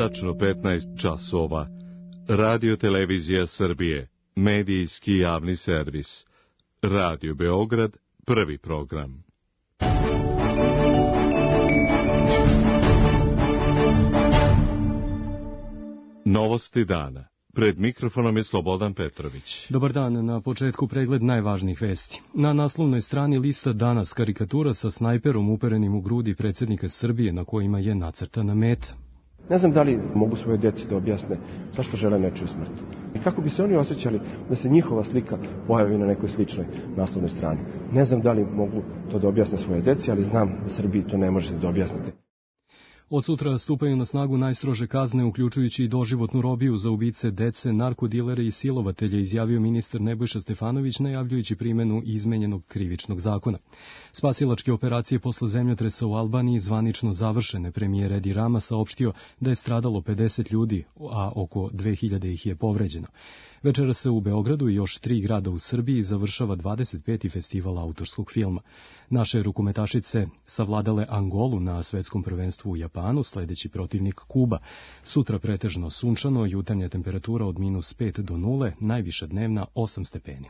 Tačno 15 časova. Radio Televizija Srbije. Medijski javni servis. Radio Beograd. Prvi program. Novosti dana. Pred mikrofonom je Slobodan Petrović. Dobar dan, na početku pregled najvažnijih vesti. Na naslovnoj strani lista danas karikatura sa snajperom uperenim u grudi predsjednika Srbije na kojima je nacrtana meta. Ne znam da li mogu svoje djeci da objasne zašto žele nečiju smrt. I kako bi se oni osjećali da se njihova slika pojavi na nekoj sličnoj naslovnoj strani. Ne znam da li mogu to da objasne svoje djeci, ali znam da Srbiji to ne možete da objasnite. Od sutra stupaju na snagu najstrože kazne, uključujući i doživotnu robiju za ubice dece, narkodilere i silovatelje, izjavio ministar Nebojša Stefanović, najavljujući primjenu izmenjenog krivičnog zakona. Spasilačke operacije posle zemljotresa u Albaniji zvanično završene. Premijer Edi Rama saopštio da je stradalo 50 ljudi, a oko 2000 ih je povređeno. Večera se u Beogradu i još 3 grada u Srbiji završava 25. festival autorskog filma. Naše rukometašice savladale Angolu na svetskom prvenstvu u Japanu, sledeći protivnik Kuba. Sutra pretežno sunčano, jutarnja temperatura od -5 do 0, najviša dnevna 8 stepeni.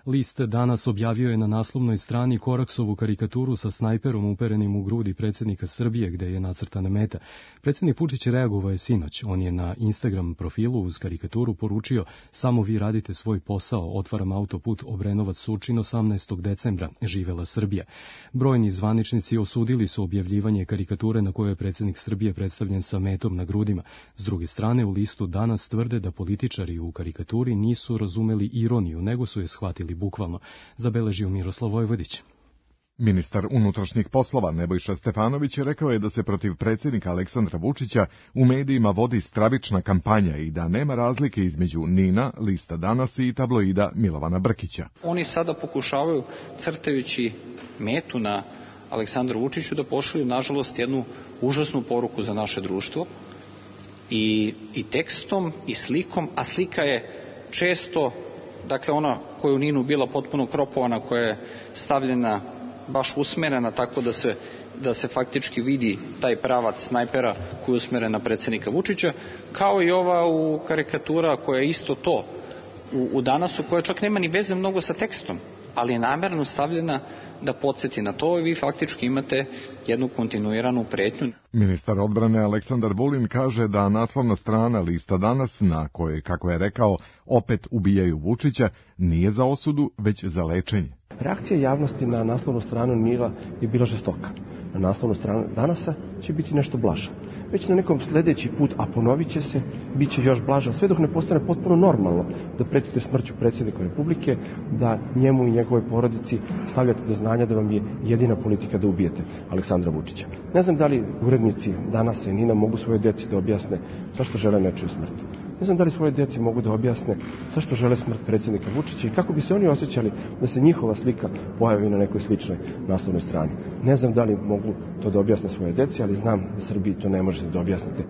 List danas objavio je na naslovnoj strani Koraksovu karikaturu sa snajperom uperenim u grudi predsjednika Srbije, gde je nacrtana meta. Predsjednik Vučić reagovao je sinoć. On je na Instagram profilu uz karikaturu poručio: "Samo vi radite svoj posao, otvaram autoput Obrenovac-Surčin 18. decembra, živela Srbija." Brojni zvaničnici osudili su objavljivanje karikature na kojoj je predsjednik Srbije predstavljen sa metom na grudima. S druge strane, u listu danas tvrde da političari u karikaturi nisu razumeli ironiju, nego su je shvatili bukvalno, zabeležio Miroslav Vojvodić. Ministar unutrašnjih poslova Nebojša Stefanović rekao je da se protiv predsjednika Aleksandra Vučića u medijima vodi stravična kampanja i da nema razlike između NIN-a, Lista danas i tabloida Milovana Brkića. Oni sada pokušavaju, crtajući metu na Aleksandru Vučiću, da pošalju, nažalost, jednu užasnu poruku za naše društvo i tekstom i slikom, a slika je često, dakle, ona koja je u NIN-u bila potpuno kropovana, koja je stavljena baš usmerena tako da se faktički vidi taj pravac snajpera koji je usmeren na predsjednika Vučića, kao i ova u karikatura koja je isto to u danasu, koja čak nema ni veze mnogo sa tekstom, ali je namerno stavljena da podsjeti na to i vi faktički imate jednu kontinuiranu pretnju. Ministar odbrane Aleksandar Vulin kaže da naslovna strana Lista danas, na kojoj, kako je rekao, opet ubijaju Vučića, nije za osudu, već za lečenje. Reakcija javnosti na naslovnu stranu NIN-a je bila žestoka. Na naslovnu stranu danasa će biti nešto blaža. Već na nekom sljedeći put, a ponovit će se, bit će još blaža, sve dok ne postane potpuno normalno da pretite smrću predsjednika Republike, da njemu i njegovoj porodici stavljate do znanja da vam je jedina politika da ubijete Aleksandra Vučića. Ne znam da li urednici Danasa i NIN-a mogu svoje djeci da objasne zašto žele nečiju smrt. Ne znam da li svoje djeci mogu da objasne zašto žele smrt predsjednika Vučića i kako bi se oni osjećali da se njihova slika pojavi na nekoj sličnoj naslovnoj strani. Ne znam da li mogu to da objasne svoje djeci, ali znam da Srbiji to ne možete da objasnite.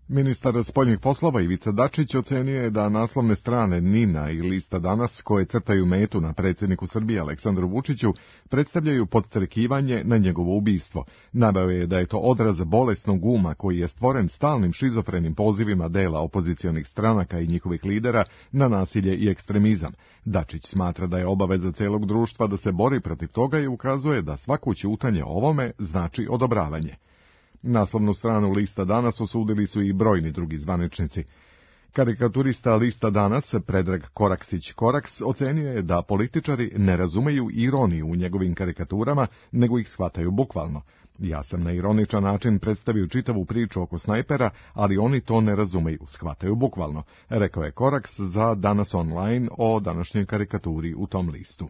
Ministar spoljnih poslova Ivica Dačić ocenio je da naslovne strane NIN-a i Lista danas, koje crtaju metu na predsjedniku Srbije Aleksandru Vučiću, predstavljaju podstrekivanje na njegovo ubistvo. Naveo je da je to odraz bolesnog uma koji je stvoren stalnim šizofrenim pozivima dela opozicionih stranaka i njihovih lidera na nasilje i ekstremizam. Dačić smatra da je obaveza celog društva da se bori protiv toga i ukazuje da svako ćutanje ovome znači odobravanje. Naslovnu stranu Lista danas osudili su i brojni drugi zvaničnici. Karikaturista Lista danas, Predrag Koraksić-Koraks, ocenio je da političari ne razumeju ironiju u njegovim karikaturama, nego ih shvataju bukvalno. Ja sam na ironičan način predstavio čitavu priču oko snajpera, ali oni to ne razumeju, shvataju bukvalno, rekao je Koraks za Danas online o današnjoj karikaturi u tom listu.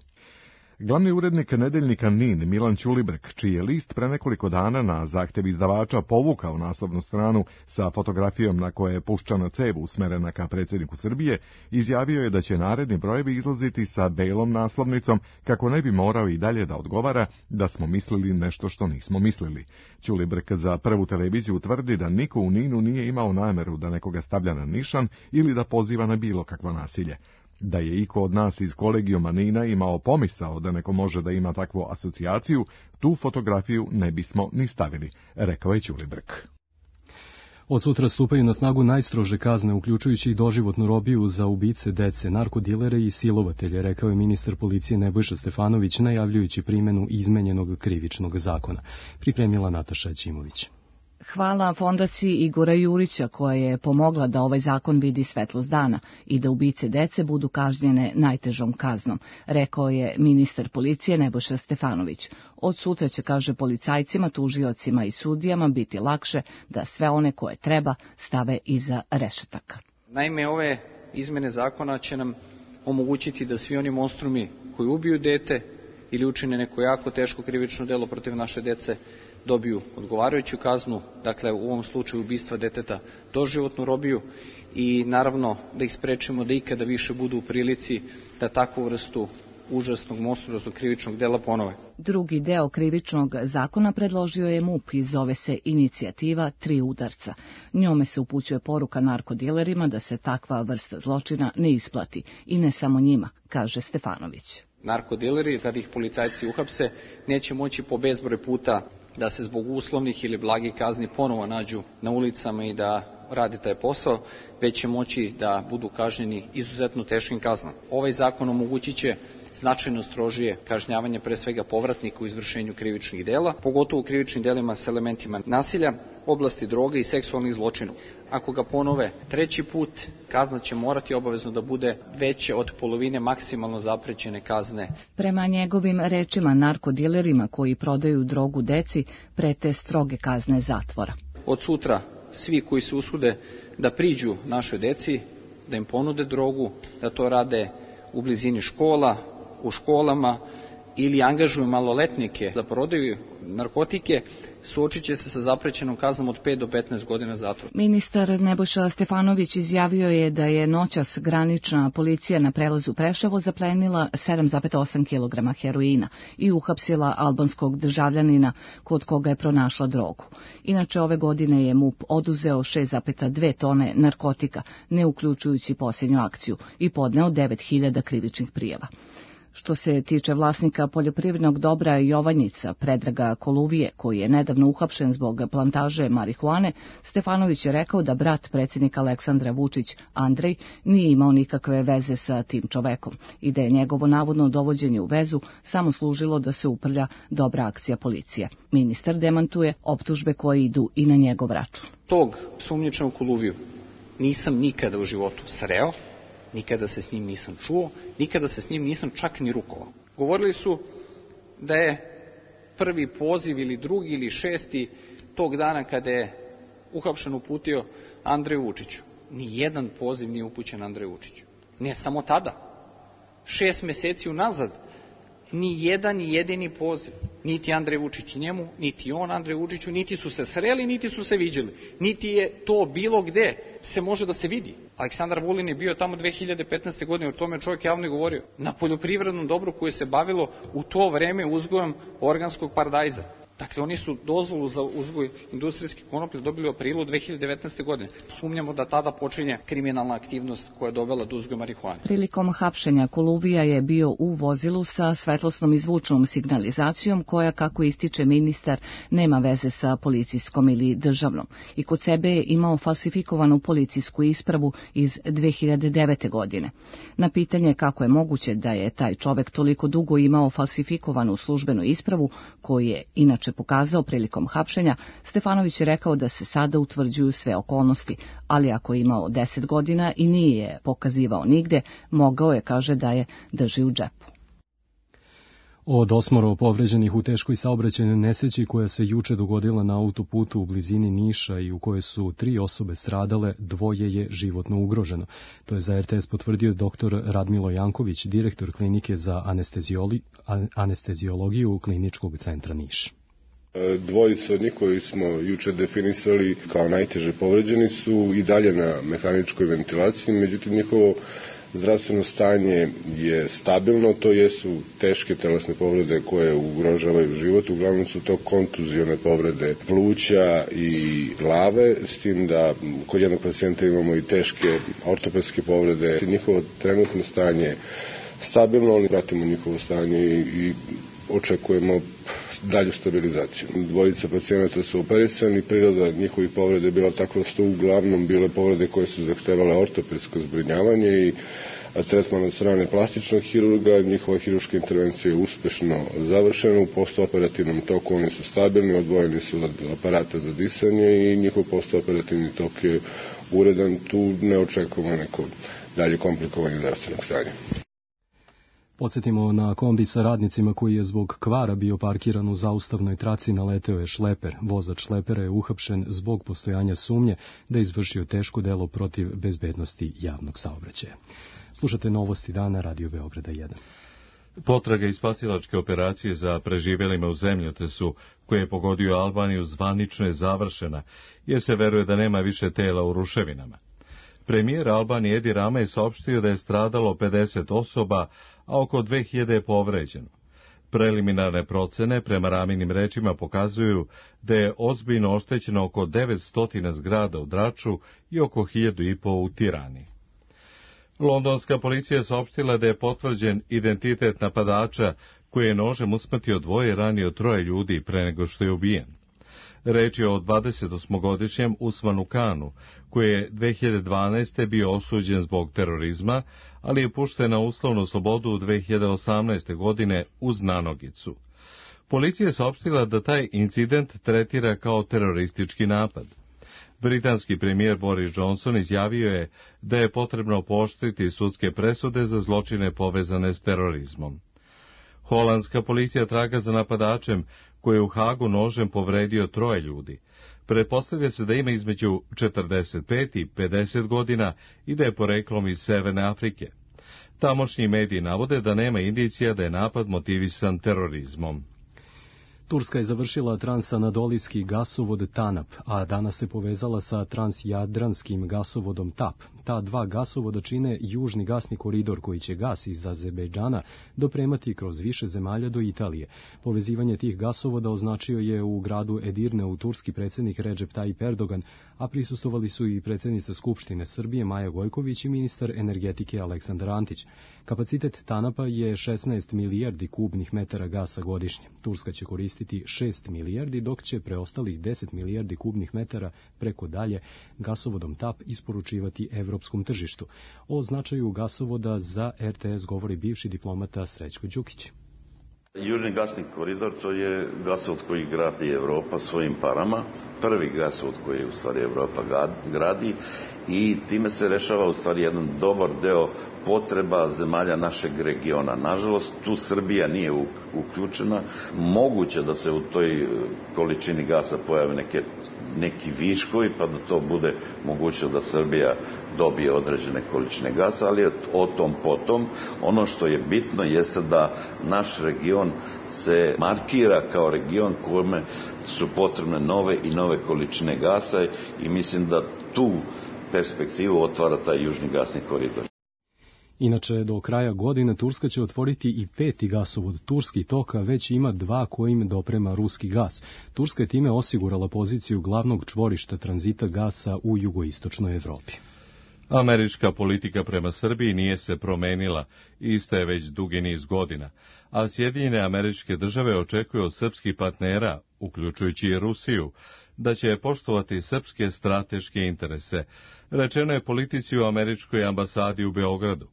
Glavni urednik nedeljnika NIN, Milan Ćulibrk, čiji je list pre nekoliko dana na zahtjev izdavača povukao naslovnu stranu sa fotografijom na kojoj je puščana cev usmerena ka predsjedniku Srbije, izjavio je da će naredni brojevi izlaziti sa belom naslovnicom kako ne bi morao i dalje da odgovara da smo mislili nešto što nismo mislili. Ćulibrk za Prvu televiziju tvrdi da niko u NIN-u nije imao nameru da nekoga stavlja na nišan ili da poziva na bilo kakvo nasilje. Da je iko od nas iz kolegijuma Nina imao pomisao da neko može da ima takvu asocijaciju, tu fotografiju ne bismo ni stavili, rekao je Ćuli Brk. Od sutra stupaju na snagu najstrože kazne, uključujući i doživotnu robiju za ubice dece, narkodilere i silovatelje, rekao je ministar policije Nebojša Stefanović, najavljujući primjenu izmenjenog krivičnog zakona. Pripremila Nataša Ćimović. Hvala fondaciji Igora Jurića koja je pomogla da ovaj zakon vidi svetlost dana i da ubice dece budu kažnjene najtežom kaznom, rekao je ministar policije Nebojša Stefanović. Od sutra će, kaže, policajcima, tužiocima i sudijama biti lakše da sve one koje treba stave iza rešetaka. Naime, ove izmene zakona će nam omogućiti da svi oni monstrumi koji ubiju dete ili učine neko jako teško krivično delo protiv naše dece dobiju odgovarajuću kaznu, dakle u ovom slučaju ubistva deteta doživotnu robiju i naravno da ih sprečimo da ikada više budu u prilici da takvu vrstu užasnog monstruoznog krivičnog dela ponove. Drugi deo krivičnog zakona predložio je MUP i zove se inicijativa 3 udarca. Njome se upućuje poruka narkodilerima da se takva vrsta zločina ne isplati i ne samo njima, kaže Stefanović. Narkodileri, kada ih policajci uhapse, neće moći po bezbroj puta da se zbog uslovnih ili blagih kazni ponovo nađu na ulicama i da radi taj posao, već će moći da budu kažnjeni izuzetno teškim kaznama. Ovaj zakon omogućit će značajno strožije kažnjavanje pre svega povratnika u izvršenju krivičnih dela, pogotovo u krivičnim delima s elementima nasilja, oblasti droge i seksualnih zločina. Ako ga ponove treći put, kazna će morati obavezno da bude veća od polovine maksimalno zaprećene kazne. Prema njegovim rečima, narkodilerima koji prodaju drogu deci prete stroge kazne zatvora. Od sutra svi koji se usude da priđu našoj deci, da im ponude drogu, da to rade u blizini škola, u školama ili angažuju maloletnike da prodaju narkotike, suočit će se sa zaprećenom kaznom od 5 do 15 godina zatvora. Ministar Nebojša Stefanović izjavio je da je noćas granična policija na prelazu Preševo zaplenila 7,8 kg heroina i uhapsila albanskog državljanina kod koga je pronašla drogu. Inače, ove godine je MUP oduzeo 6,2 tone narkotika, ne uključujući posljednju akciju, i podneo 9.000 krivičnih prijava. Što se tiče vlasnika poljoprivrednog dobra Jovanjica, Predraga Koluvije, koji je nedavno uhapšen zbog plantaže marihuane, Stefanović je rekao da brat predsjednika Aleksandra Vučić, Andrej, nije imao nikakve veze sa tim čovekom i da je njegovo navodno dovođenje u vezu samo služilo da se uprlja dobra akcija policije. Ministar demantuje optužbe koje idu i na njegov račun. Tog sumnjičnog Koluviju nisam nikada u životu sreo, nikada se s njim nisam čuo, nikada se s njim nisam čak ni rukovao. Govorili su da je prvi poziv ili drugi ili šesti tog dana kada je uhapšen uputio Andreju Vučiću. Nijedan poziv nije upućen Andreju Vučiću. Ne samo tada. 6 meseci unazad ni jedan jedini poziv. Niti Andrej Vučić njemu, niti on Andrej Vučiću, niti su se sreli, niti su se viđali. Niti je to bilo gde se može da se vidi. Aleksandar Vulin je bio tamo 2015. godine, o tome čovjek javno govorio, na poljoprivrednom dobru koje se bavilo u to vreme uzgojem organskog paradajza. Dakle, oni su dozvolu za uzgoj industrijske konoplje dobili u aprilu 2019. godine. Sumnjamo da tada počinje kriminalna aktivnost koja je dovela do uzgoja marihuane. Prilikom hapšenja Koluvija je bio u vozilu sa svetlosnom i zvučnom signalizacijom koja, kako ističe ministar, nema veze sa policijskom ili državnom. I kod sebe je imao falsifikovanu policijsku ispravu iz 2009. godine. Na pitanje kako je moguće da je taj čovek toliko dugo imao falsifikovanu službenu ispravu, koju je inače pokazao prilikom hapšenja, Stefanović je rekao da se sada utvrđuju sve okolnosti, ali ako je imao 10 godina i nije je pokazivao nigde, mogao je, kaže, da je drži u džepu. Od 8 povređenih u teškoj saobraćajnoj nesreći koja se juče dogodila na autoputu u blizini Niša i u kojoj su 3 osobe stradale, 2 je životno ugroženo. To je za RTS potvrdio dr. Radmilo Janković, direktor klinike za anesteziologiju Kliničkog centra Niš. Dvojica od njih koji smo juče definisali kao najteže povređeni su i dalje na mehaničkoj ventilaciji, međutim njihovo zdravstveno stanje je stabilno, to jesu teške telesne povrede koje ugrožavaju život, uglavnom su to kontuzione povrede pluća i glave, s tim da kod jednog pacijenta imamo i teške ortopedske povrede. Njihovo trenutno stanje stabilno, ali pratimo njihovo stanje i očekujemo dalju stabilizaciju. Dvojica pacijenata su operisani, priroda njihovih povreda je bila takva što uglavnom bile povrede koje su zahtevale ortopedsko zbrinjavanje i tretman od strane plastičnog hirurga. Njihova hirurška intervencija je uspešno završena, u postoperativnom toku oni su stabilni, odvojeni su od aparata za disanje i njihov postoperativni tok je uredan, tu ne očekujemo neko dalje komplikovanje zdravstvenog stanja. Podsjetimo na kombi sa radnicima koji je zbog kvara bio parkiran u zaustavnoj traci, naleteo je šleper. Vozač šlepera je uhapšen zbog postojanja sumnje da je izvršio teško delo protiv bezbednosti javnog saobraćaja. Slušate Novosti dana, Radio Beograda 1. Potraga i spasilačke operacije za preživjelima u zemljotesu koje je pogodio Albaniju zvanično je završena, jer se veruje da nema više tela u ruševinama. Premijer Albanije Edi Rama je saopštio da je stradalo 50 osoba, a oko 2000 je povređeno. Preliminarne procene, prema Raminim rečima, pokazuju da je ozbiljno oštećeno oko 900 zgrada u Draču i oko 1500 u Tirani. Londonska policija je saopštila da je potvrđen identitet napadača koji je nožem usmrtio 2 i ranio 3 ljudi pre nego što je ubijen. Reč je o 28-godišnjem Usmanu Kanu, koji je 2012. bio osuđen zbog terorizma, ali je pušten na uslovnu slobodu u 2018. godine uz nanogicu. Policija je saopštila da taj incident tretira kao teroristički napad. Britanski premijer Boris Johnson izjavio je da je potrebno pooštriti sudske presude za zločine povezane s terorizmom. Holandska policija traga za napadačem koji je u Hagu nožem povredio 3 ljudi. Pretpostavlja se da ima između 45 i 50 godina i da je poreklom iz Severne Afrike. Tamošnji mediji navode da nema indicija da je napad motivisan terorizmom. Turska je završila transanadolijski gasovod TANAP, a danas se povezala sa transjadranskim gasovodom TAP. Ta 2 gasovoda čine južni gasni koridor koji će gas iz Azerbejdžana dopremati kroz više zemalja do Italije. Povezivanje tih gasovoda označio je u gradu Edirne u turski predsjednik Recep Tayyip Erdogan, a prisustvovali su i predsjednica Skupštine Srbije Maja Gojković i ministar energetike Aleksandar Antić. Kapacitet TANAP-a je 16 milijardi kubnih metara gasa godišnje. Turska će koristiti 6 milijardi, dok će preostalih 10 milijardi kubnih metara preko dalje gasovodom TAP isporučivati evropskom tržištu. O značaju gasovoda za RTS govori bivši diplomata Srećko Đukić. Južni gasni koridor, to je gasovod koji gradi Evropa svojim parama, prvi gasovod koji u stvari Evropa gradi i time se rešava u stvari jedan dobar deo potreba zemalja našeg regiona. Nažalost, tu Srbija nije uključena. Moguće da se u toj količini gasa pojave neki viškovi, pa da to bude moguće da Srbija dobije određene količine gasa, ali o tom potom. Ono što je bitno jeste da naš region se markira kao region kome su potrebne nove i nove količine gasa i mislim da tu perspektivu otvara taj južni gasni koridor. Inače, do kraja godine Turska će otvoriti i 5. gasovod Turski tok, a već ima 2 kojim doprema ruski gas. Turska je time osigurala poziciju glavnog čvorišta tranzita gasa u jugoistočnoj Evropi. Američka politika prema Srbiji nije se promenila, ista je već dugi niz godina, a Sjedinjene Američke Države očekuju od srpskih partnera, uključujući i Rusiju, da će poštovati srpske strateške interese, rečeno je politici u američkoj ambasadi u Beogradu.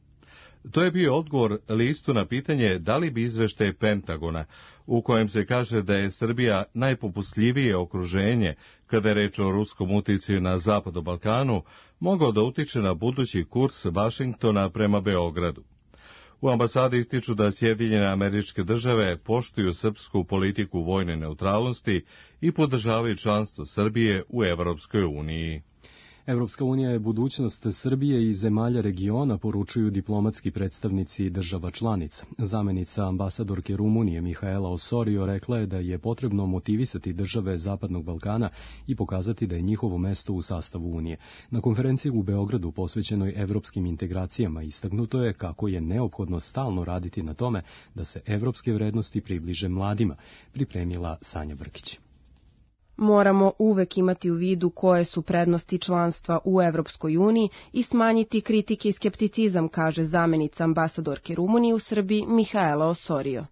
To je bio odgovor listu na pitanje da li bi izveštaj Pentagona, u kojem se kaže da je Srbija najpopustljivije okruženje kada je reč o ruskom uticaju na Zapadu Balkanu, mogao da utiče na budući kurs Vašingtona prema Beogradu. U ambasadi ističu da Sjedinjene Američke Države poštuju srpsku politiku vojne neutralnosti i podržavaju članstvo Srbije u Evropskoj uniji. Evropska unija je budućnost Srbije i zemalja regiona, poručuju diplomatski predstavnici država članica. Zamenica ambasadorke Rumunije Mihaela Osorio rekla je da je potrebno motivisati države Zapadnog Balkana i pokazati da je njihovo mesto u sastavu Unije. Na konferenciji u Beogradu posvećenoj evropskim integracijama istaknuto je kako je neophodno stalno raditi na tome da se evropske vrednosti približe mladima, pripremila Sanja Brkić. Moramo uvek imati u vidu koje su prednosti članstva u Evropskoj uniji i smanjiti kritike i skepticizam, kaže zamenica ambasadorke Rumunije u Srbiji Mihaela Osorio.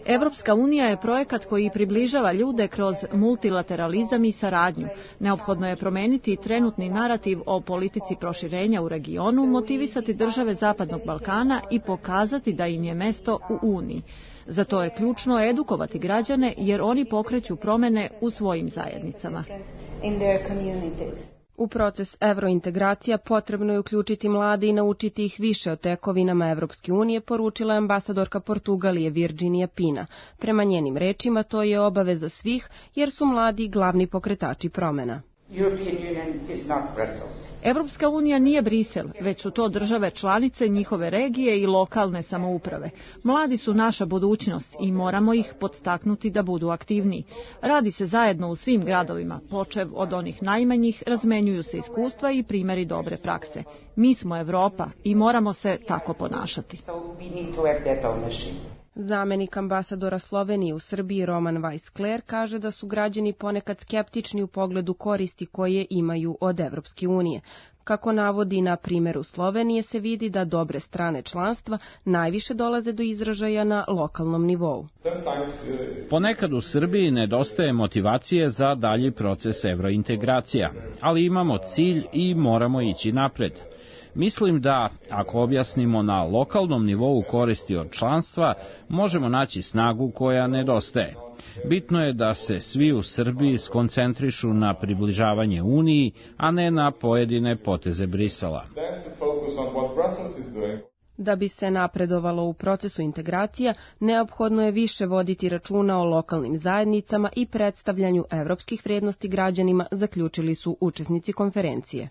Evropska unija je projekat koji približava ljude kroz multilateralizam i saradnju. Neophodno je promeniti trenutni narativ o politici proširenja u regionu, motivisati države Zapadnog Balkana i pokazati da im je mesto u Uniji. Za to je ključno edukovati građane jer oni pokreću promene u svojim zajednicama. U proces evrointegracija potrebno je uključiti mlade i naučiti ih više o tekovinama Evropske unije, poručila je ambasadorka Portugalije Virginija Pina. Prema njenim rečima to je obaveza svih jer su mladi glavni pokretači promena. Evropska unija nije Brisel, već su to države članice, njihove regije i lokalne samouprave. Mladi su naša budućnost i moramo ih podstaknuti da budu aktivniji. Radi se zajedno u svim gradovima, počev od onih najmanjih, razmenjuju se iskustva i primjeri dobre prakse. Mi smo Evropa i moramo se tako ponašati. Zamenik ambasadora Slovenije u Srbiji Roman Weiss-Kler kaže da su građani ponekad skeptični u pogledu koristi koje imaju od Evropske unije. Kako navodi na primjeru Slovenije se vidi da dobre strane članstva najviše dolaze do izražaja na lokalnom nivou. Ponekad u Srbiji nedostaje motivacije za dalji proces evrointegracija, ali imamo cilj i moramo ići napred. Mislim da, ako objasnimo na lokalnom nivou koristi od članstva, možemo naći snagu koja nedostaje. Bitno je da se svi u Srbiji skoncentrišu na približavanje Uniji, a ne na pojedine poteze Brisela. Da bi se napredovalo u procesu integracija, neophodno je više voditi računa o lokalnim zajednicama i predstavljanju evropskih vrijednosti građanima, zaključili su učesnici konferencije.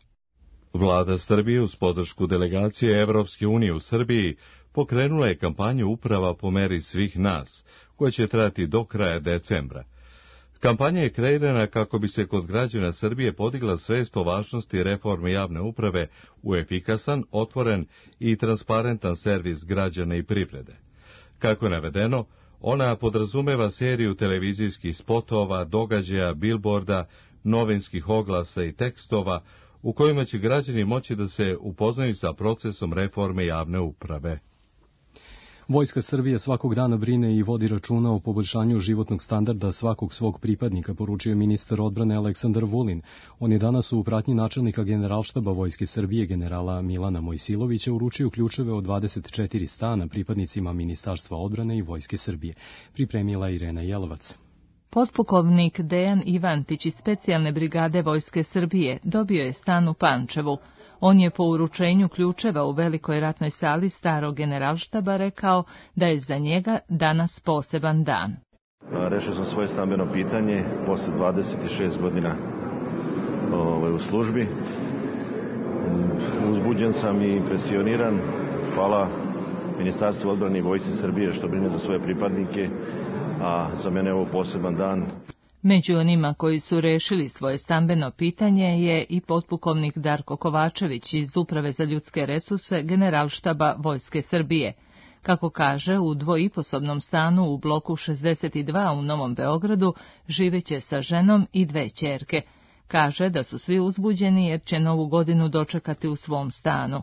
Vlada Srbije uz podršku delegacije Evropske unije u Srbiji pokrenula je kampanju Uprava po meri svih nas, koja će trajati do kraja decembra. Kampanja je kreirana kako bi se kod građana Srbije podigla svest o važnosti reforme javne uprave u efikasan, otvoren i transparentan servis građana i privrede. Kako je navedeno, ona podrazumeva seriju televizijskih spotova, događaja, bilborda, novinskih oglasa i tekstova, u kojima će građani moći da se upoznaju sa procesom reforme javne uprave. Vojska Srbije svakog dana brine i vodi računa o poboljšanju životnog standarda svakog svog pripadnika, poručio ministar odbrane Aleksandar Vulin. On je danas u pratnji načelnika Generalštaba Vojske Srbije generala Milana Mojsilovića uručio ključeve od 24 stana pripadnicima Ministarstva odbrane i Vojske Srbije. Pripremila Irena Jelovac. Potpukovnik Dejan Ivantić iz specijalne brigade Vojske Srbije dobio je stan u Pančevu. On je po uručenju ključeva u velikoj ratnoj sali starog Generalštaba rekao da je za njega danas poseban dan. Rešio sam svoje stambeno pitanje posle 26 godina u službi. Uzbuđen sam i impresioniran. Hvala Ministarstvu odbrane i Vojsci Srbije što brine za svoje pripadnike, a za mene je ovo poseban dan. Među onima koji su rešili svoje stambeno pitanje je i potpukovnik Darko Kovačević iz Uprave za ljudske resurse Generalštaba Vojske Srbije. Kako kaže, u dvoiposobnom stanu u bloku 62 u Novom Beogradu živeće sa ženom i 2 ćerke. Kaže da su svi uzbuđeni jer će novu godinu dočekati u svom stanu.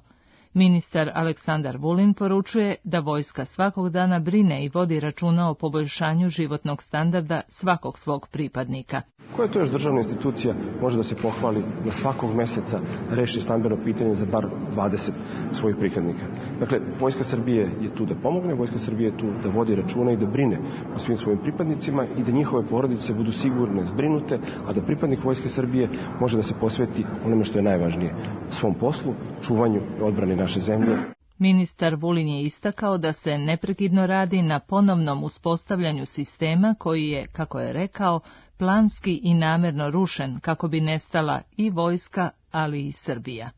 Ministar Aleksandar Vulin poručuje da vojska svakog dana brine i vodi računa o poboljšanju životnog standarda svakog svog pripadnika. Koja to još državna institucija može da se pohvali da svakog meseca reši stambeno pitanje za bar 20 svojih pripadnika? Dakle, Vojska Srbije je tu da pomogne, Vojska Srbije je tu da vodi računa i da brine o svim svojim pripadnicima i da njihove porodice budu sigurne, zbrinute, a da pripadnik Vojske Srbije može da se posveti onome što je najvažnije, svom poslu, čuvanju i odbrani naše zemlje. Ministar Vulin je istakao da se neprekidno radi na ponovnom uspostavljanju sistema koji je, kako je rekao, planski i namerno rušen kako bi nestala i vojska, ali i Srbija.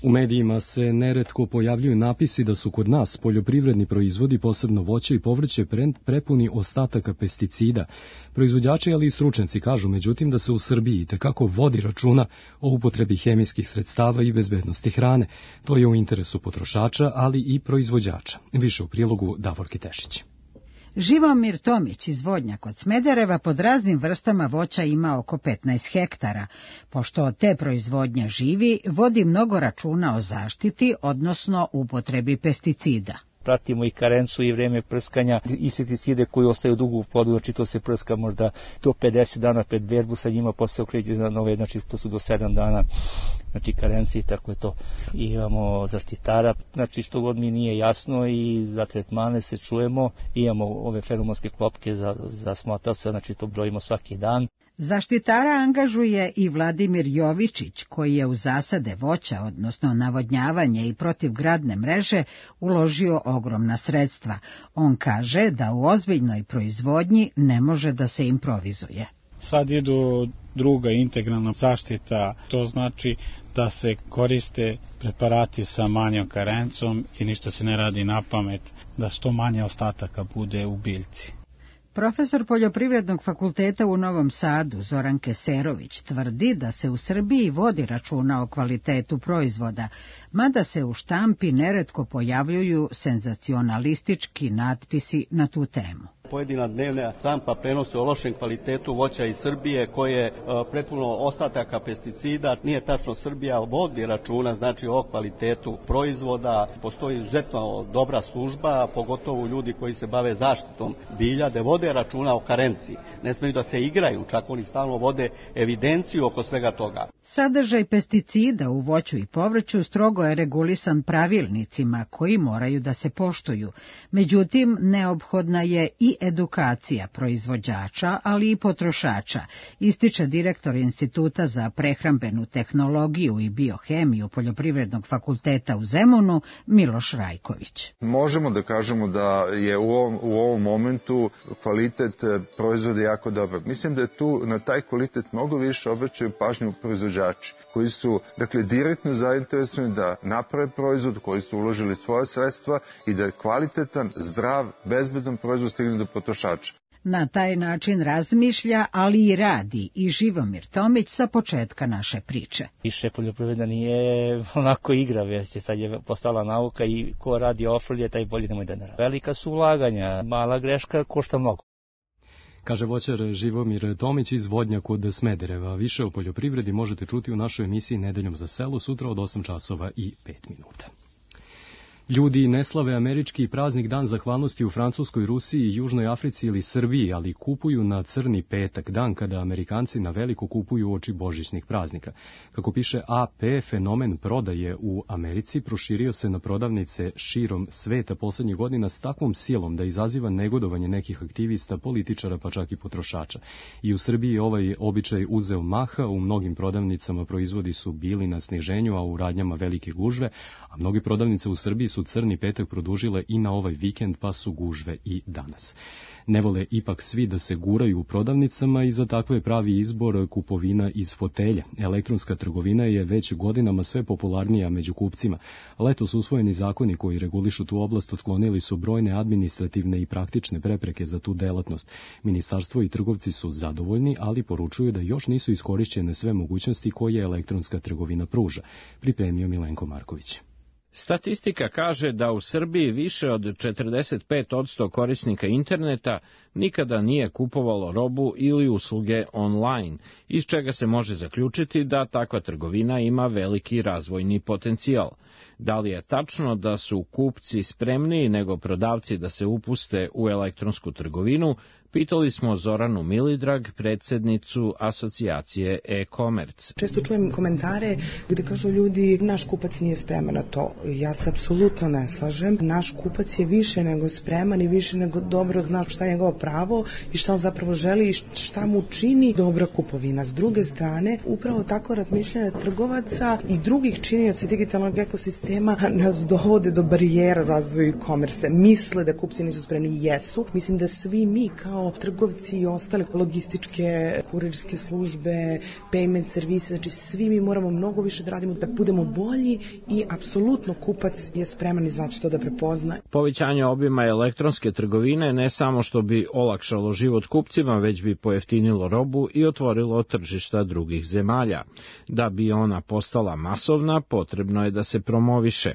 U medijima se neretko pojavljuju napisi da su kod nas poljoprivredni proizvodi, posebno voće i povrće, prepuni ostataka pesticida. Proizvođači, ali i stručnjaci kažu, međutim, da se u Srbiji itekako vodi računa o upotrebi hemijskih sredstava i bezbednosti hrane. To je u interesu potrošača, ali i proizvođača. Više u prilogu Davorke Tešić. Živomir Tomić iz Vodnja kod Smedereva pod raznim vrstama voća ima oko 15 hektara. Pošto od te proizvodnje živi, vodi mnogo računa o zaštiti, odnosno upotrebi pesticida. Pratimo i karencu i vreme prskanja, insekticide koji ostaju dugo u plodu, znači to se prska možda do 50 dana pred berbu, sa njima posle okreće na nove, znači to su do 7 dana, znači karenci i tako je to. I imamo zaštitara, znači što god mi nije jasno i za tretmane se čujemo, imamo ove feromonske klopke za smotavca, znači to brojimo svaki dan. Zaštitara angažuje i Vladimir Jovičić, koji je u zasade voća, odnosno navodnjavanje i protivgradne mreže, uložio ogromna sredstva. On kaže da u ozbiljnoj proizvodnji ne može da se improvizuje. Sad idu druga integralna zaštita, to znači da se koriste preparati sa manjom karencom i ništa se ne radi na pamet, da što manje ostataka bude u biljci. Profesor Poljoprivrednog fakulteta u Novom Sadu, Zoran Keserović, tvrdi da se u Srbiji vodi računa o kvalitetu proizvoda, mada se u štampi neretko pojavljuju senzacionalistički natpisi na tu temu. Pojedina dnevna štampa prenosi o lošem kvalitetu voća iz Srbije koje je prepuno ostataka pesticida. Nije tačno, Srbija vodi računa znači o kvalitetu proizvoda. Postoji izuzetno dobra služba, pogotovo ljudi koji se bave zaštitom bilja, da vode računa o karenciji. Ne smeju da se igraju, čak oni stalno vode evidenciju oko svega toga. Sadržaj pesticida u voću i povrću strogo je regulisan pravilnicima koji moraju da se poštuju. Međutim, neophodna je i edukacija proizvođača, ali i potrošača, ističe direktor Instituta za prehrambenu tehnologiju i biohemiju Poljoprivrednog fakulteta u Zemunu, Miloš Rajković. Možemo da kažemo da je u ovom momentu kvalitet proizvoda jako dobar. Mislim da je tu na taj kvalitet mnogo više obraćaju pažnju proizvođači, koji su direktno zainteresovani da naprave proizvod, koji su uložili svoje sredstva i da je kvalitetan, zdrav, bezbedan proizvod stigne do potrošača. Na taj način razmišlja, ali i radi i Živomir Tomić sa početka naše priče. Više poljoprivreda nije onako igra, već sad je postala nauka i ko radi ofrlje, taj bolje nemoj da ne radi. Velika su ulaganja, mala greška košta mnogo. Kaže voćar Živomir Tomić iz Vodnja kod Smedereva. Više o poljoprivredi možete čuti u našoj emisiji Nedeljom za selo sutra od 8 časova i 5 minuta. Ljudi ne slave američki praznik Dan zahvalnosti u Francuskoj, Rusiji, Južnoj Africi ili Srbiji, ali kupuju na crni petak, dan kada Amerikanci na veliko kupuju uoči božićnih praznika. Kako piše AP, fenomen prodaje u Americi proširio se na prodavnice širom sveta poslednjih godina s takvom silom da izaziva negodovanje nekih aktivista, političara pa čak i potrošača. I u Srbiji ovaj običaj uzeo maha, u mnogim prodavnicama proizvodi su bili na sniženju, a u radnjama velike gužve, a mnoge prodavnice u Srbiji su crni petak produžile i na ovaj vikend, pa su gužve i danas. Ne vole ipak svi da se guraju u prodavnicama i za takve pravi izbor kupovina iz fotelje. Elektronska trgovina je već godinama sve popularnija među kupcima. Letos usvojeni zakoni koji regulišu tu oblast otklonili su brojne administrativne i praktične prepreke za tu delatnost. Ministarstvo i trgovci su zadovoljni, ali poručuju da još nisu iskorišćene sve mogućnosti koje elektronska trgovina pruža. Pripremio Milenko Marković. Statistika kaže da u Srbiji više od 45% korisnika interneta nikada nije kupovalo robu ili usluge online, iz čega se može zaključiti da takva trgovina ima veliki razvojni potencijal. Da li je tačno da su kupci spremniji nego prodavci da se upuste u elektronsku trgovinu, pitali smo Zoranu Milidrag, predsjednicu asocijacije e-commerce. Često čujem komentare gde kažu ljudi, naš kupac nije spreman na to. Ja se apsolutno ne slažem. Naš kupac je više nego spreman i više nego dobro zna šta je njegovo pravo i šta on zapravo želi i šta mu čini dobra kupovina. S druge strane, upravo tako razmišljanje trgovaca i drugih činioca digitalnog ekosistema nas dovode do barijera razvoju e-commerce. Misle da kupci nisu spremni, jesu. Mislim da svi mi kao trgovci i ostale logističke, kurirske službe, payment servise, znači svi mi moramo mnogo više da radimo da budemo bolji i apsolutno kupac je spreman i znači to da prepozna. Povećanje obima elektronske trgovine ne samo što bi olakšalo život kupcima, već bi pojeftinilo robu i otvorilo tržišta drugih zemalja. Da bi ona postala masovna, potrebno je da se promoviše.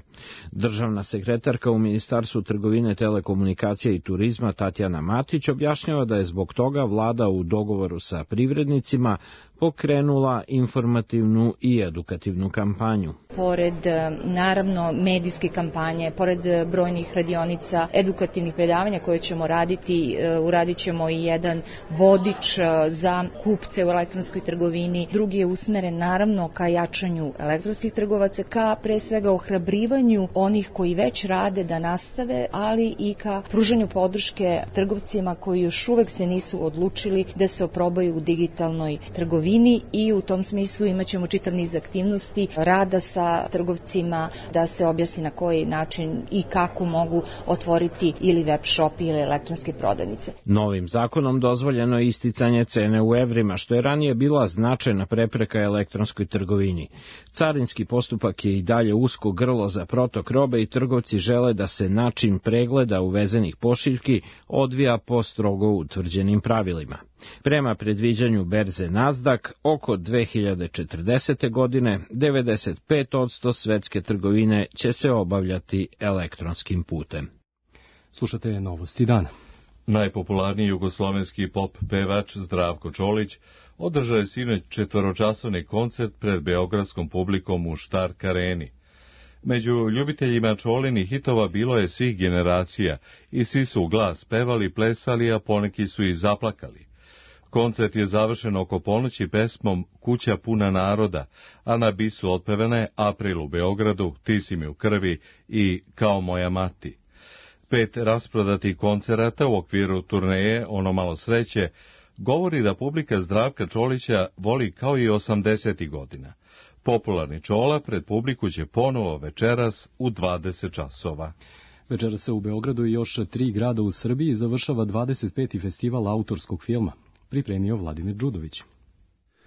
Državna sekretarka u Ministarstvu trgovine, telekomunikacija i turizma Tatjana Matić objašnjava da je zbog toga vlada u dogovoru sa privrednicima pokrenula informativnu i edukativnu kampanju. Pored, naravno, medijske kampanje, pored brojnih radionica, edukativnih predavanja koje ćemo raditi, uradit ćemo i jedan vodič za kupce u elektronskoj trgovini. Drugi je usmeren, naravno, ka jačanju elektronskih trgovaca, ka pre svega ohrabrivanju onih koji već rade da nastave, ali i ka pružanju podrške trgovcima koji još uvek se nisu odlučili da se oprobaju u digitalnoj trgovini i u tom smislu imaćemo čitav niz aktivnosti rada sa trgovcima da se objasni na koji način i kako mogu otvoriti ili web shop ili elektronske prodavnice. Novim zakonom dozvoljeno je isticanje cene u evrima, što je ranije bila značajna prepreka elektronskoj trgovini. Carinski postupak je i dalje usko grlo za protok robe i trgovci žele da se način pregleda uvezenih pošiljki odvija po strogo utvrđenim pravilima. Prema predviđanju berze Nasdaq, oko 2040. godine 95% svetske trgovine će se obavljati elektronskim putem. Slušate Novosti dana. Najpopularniji jugoslovenski pop pevač Zdravko Čolić održao je sinoć 4-časovni koncert pred beogradskom publikom u Štark areni. Među ljubiteljima Čolinih hitova bilo je svih generacija i svi su u glas pevali, plesali, a poneki su i zaplakali. Koncert je završen oko ponoći pesmom Kuća puna naroda, a na bisu otpevane April u Beogradu, Ti si mi u krvi i Kao moja mati. 5 rasprodatih koncerata u okviru turneje Ono malo sreće govori da publika Zdravka Čolića voli kao i 80. godina. Popularni Čola pred publiku će ponovo večeras u 20 časova. Večeras se u Beogradu i još 3 grada u Srbiji završava 25. festival autorskog filma. Pripremio Vladimir Đudović.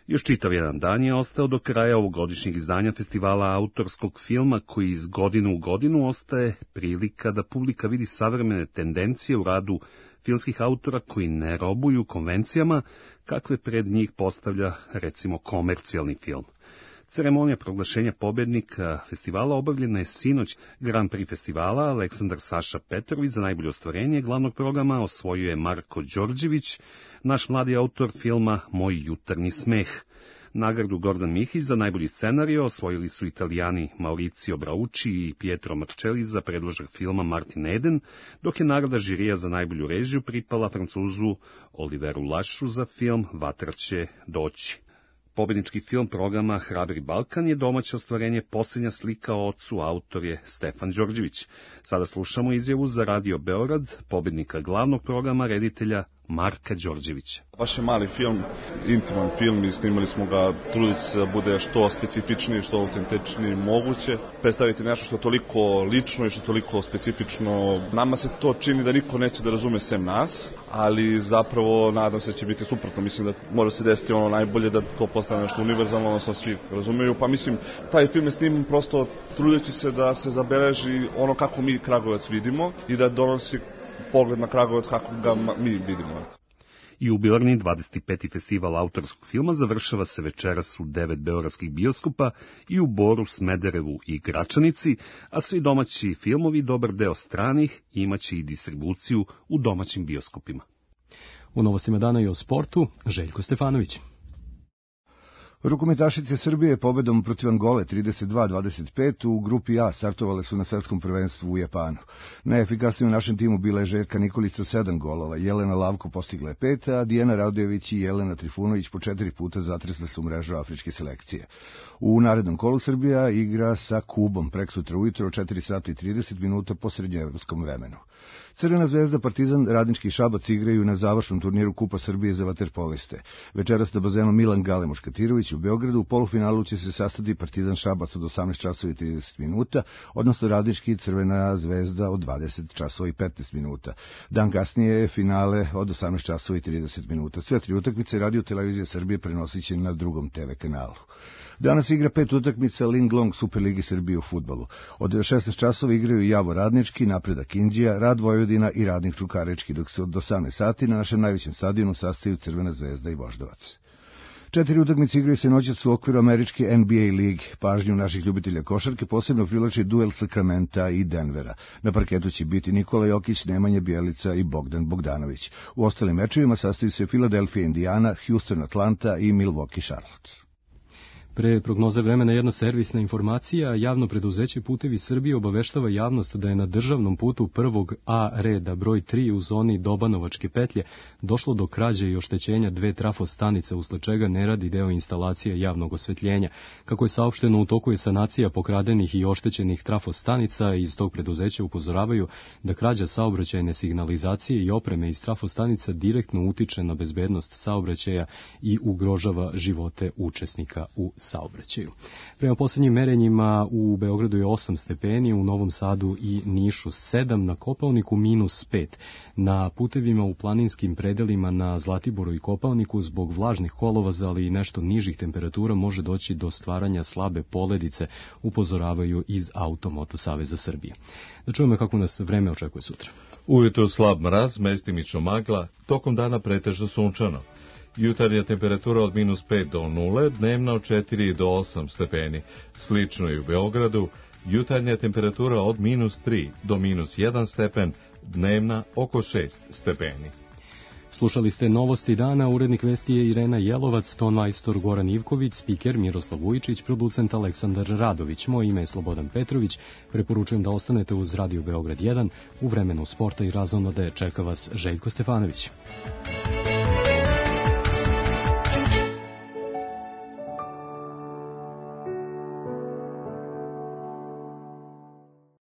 Još čitav jedan dan je ostao do kraja ovogodišnjeg izdanja festivala autorskog filma, koji iz godine u godinu ostaje prilika da publika vidi savremene tendencije u radu filmskih autora koji ne robuju konvencijama kakve pred njih postavlja, recimo, komercijalni film. Ceremonija proglašenja pobednika festivala obavljena je sinoć. Grand Prix festivala Aleksandar Saša Petrović za najbolje ostvarenje glavnog programa osvojio je Marko Đorđević, naš mladi autor filma Moj jutarnji smeh. Nagradu Gordan Mihić za najbolji scenario osvojili su Italijani Mauricio Brauci i Pietro Marcelli za predložak filma Martin Eden, dok je nagrada žirija za najbolju režiju pripala Francuzu Oliveru Lašu za film Vatra će doći. Pobednički film programa Hrabri Balkan je domaće ostvarenje Posljednja slika o ocu, autor je Stefan Đorđević. Sada slušamo izjavu za Radio Beograd, pobednika glavnog programa, reditelja Marka Đorđevića. Baš je mali film, intiman film i snimali smo ga trudeći se da bude što specifičniji, što autentičniji moguće. Predstaviti nešto što je toliko lično i što je toliko specifično. Nama se to čini da niko neće da razume sem nas, ali zapravo nadam se da će biti suprotno. Mislim da može se desiti ono najbolje, da to postane nešto univerzalno, odnosno svi razumeju. Pa mislim, taj film je sniman prosto trudeći se da se zabeleži ono kako mi Kragujevac vidimo i da donosi pogled na Kragujevac kako ga mi vidimo. I u Jubilarni 25. festival autorskog filma završava se večeras u 9 beogradskih bioskopa i u Boru, Smederevu i Gračanici, a svi domaći filmovi, dobar deo stranih, imaće i distribuciju u domaćim bioskopima. U Novostima dana i o sportu, Željko Stefanović. Rukometašice Srbije pobedom protiv Angole 32-25 u grupi A startovale su na svetskom prvenstvu u Japanu. Najefikasnije u našem timu bila je Željka Nikolić sa 7 golova, Jelena Lavko postigla je 5, a Dijana Radojević i Jelena Trifunović po 4 puta zatresle su mrežu afričke selekcije. U narednom kolu Srbija igra sa Kubom preksutra ujutro od 4 sata i 30 minuta po srednjoevropskom vremenu. Crvena zvezda, Partizan, Radnički i Šabac igraju na završnom turniru Kupa Srbije za vaterpoliste. Večeras na bazenu Milan Gale Muškatirović u Beogradu. U polufinalu će se sastati Partizan Šabac od 18 časova i 30 minuta, odnosno Radnički i Crvena zvezda od 20 časova i 15 minuta. Dan kasnije je finale od 18 časova i 30 minuta. Sve tri utakmice Radio Televizija Srbije prenosit će na drugom TV kanalu. Danas igra 5 utakmica Linglong Superligi Srbije u fudbalu. Od 16 časova igraju Javor Radnički, Napredak Inđija, Rad Vojvodina i Radnik Čukarički, dok se od 18 sati na našem najvećem stadionu sastaju Crvena zvezda i Voždovac. 4 utakmice igraju se noćas u okviru američke NBA lige. Pažnju naših ljubitelja košarke posebno privlači duel Sakramenta i Denvera. Na parketu će biti Nikola Jokić, Nemanja Bjelica i Bogdan Bogdanović. U ostalim mečevima sastaju se Philadelphia Indiana, Houston Atlanta i Milwaukee Charlotte. Pre prognoze vremena jedna servisna informacija. Javno preduzeće Putevi Srbije obaveštava javnost da je na državnom putu prvog A reda broj 3 u zoni Dobanovačke petlje došlo do krađe i oštećenja 2 trafostanice, usled čega ne radi deo instalacije javnog osvetljenja. Kako je saopšteno, u toku je sanacija pokradenih i oštećenih trafostanica. Iz tog preduzeća upozoravaju da krađa saobraćajne signalizacije i opreme iz trafostanica direktno utiče na bezbednost saobraćaja i ugrožava živote učesnika u saobraćaju. Prema posljednjim merenjima u Beogradu je 8 stepeni, u Novom Sadu i Nišu 7, na Kopaoniku -5. Na putevima u planinskim predelima na Zlatiboru i Kopaoniku zbog vlažnih kolovoza, ali i nešto nižih temperatura može doći do stvaranja slabe poledice, upozoravaju iz Automoto Saveza Srbije. Da čujemo kako nas vreme očekuje sutra. Ujutro slab mraz, mestimično magla, tokom dana pretežno sunčano. Jutarnja temperatura od -5 do 0, dnevna od 4 do 8 stepeni. Slično i u Beogradu, jutarnja temperatura od -3 do -1 stepen, dnevna oko 6 stepeni. Slušali ste novosti dana, urednik vesti je Irena Jelovac, tonmajstor Goran Ivković, spiker Miroslav Vujičić, producent Aleksandar Radović. Moje ime je Slobodan Petrović, preporučujem da ostanete uz Radio Beograd 1, u vremenu sporta i razonode čeka vas Željko Stefanović.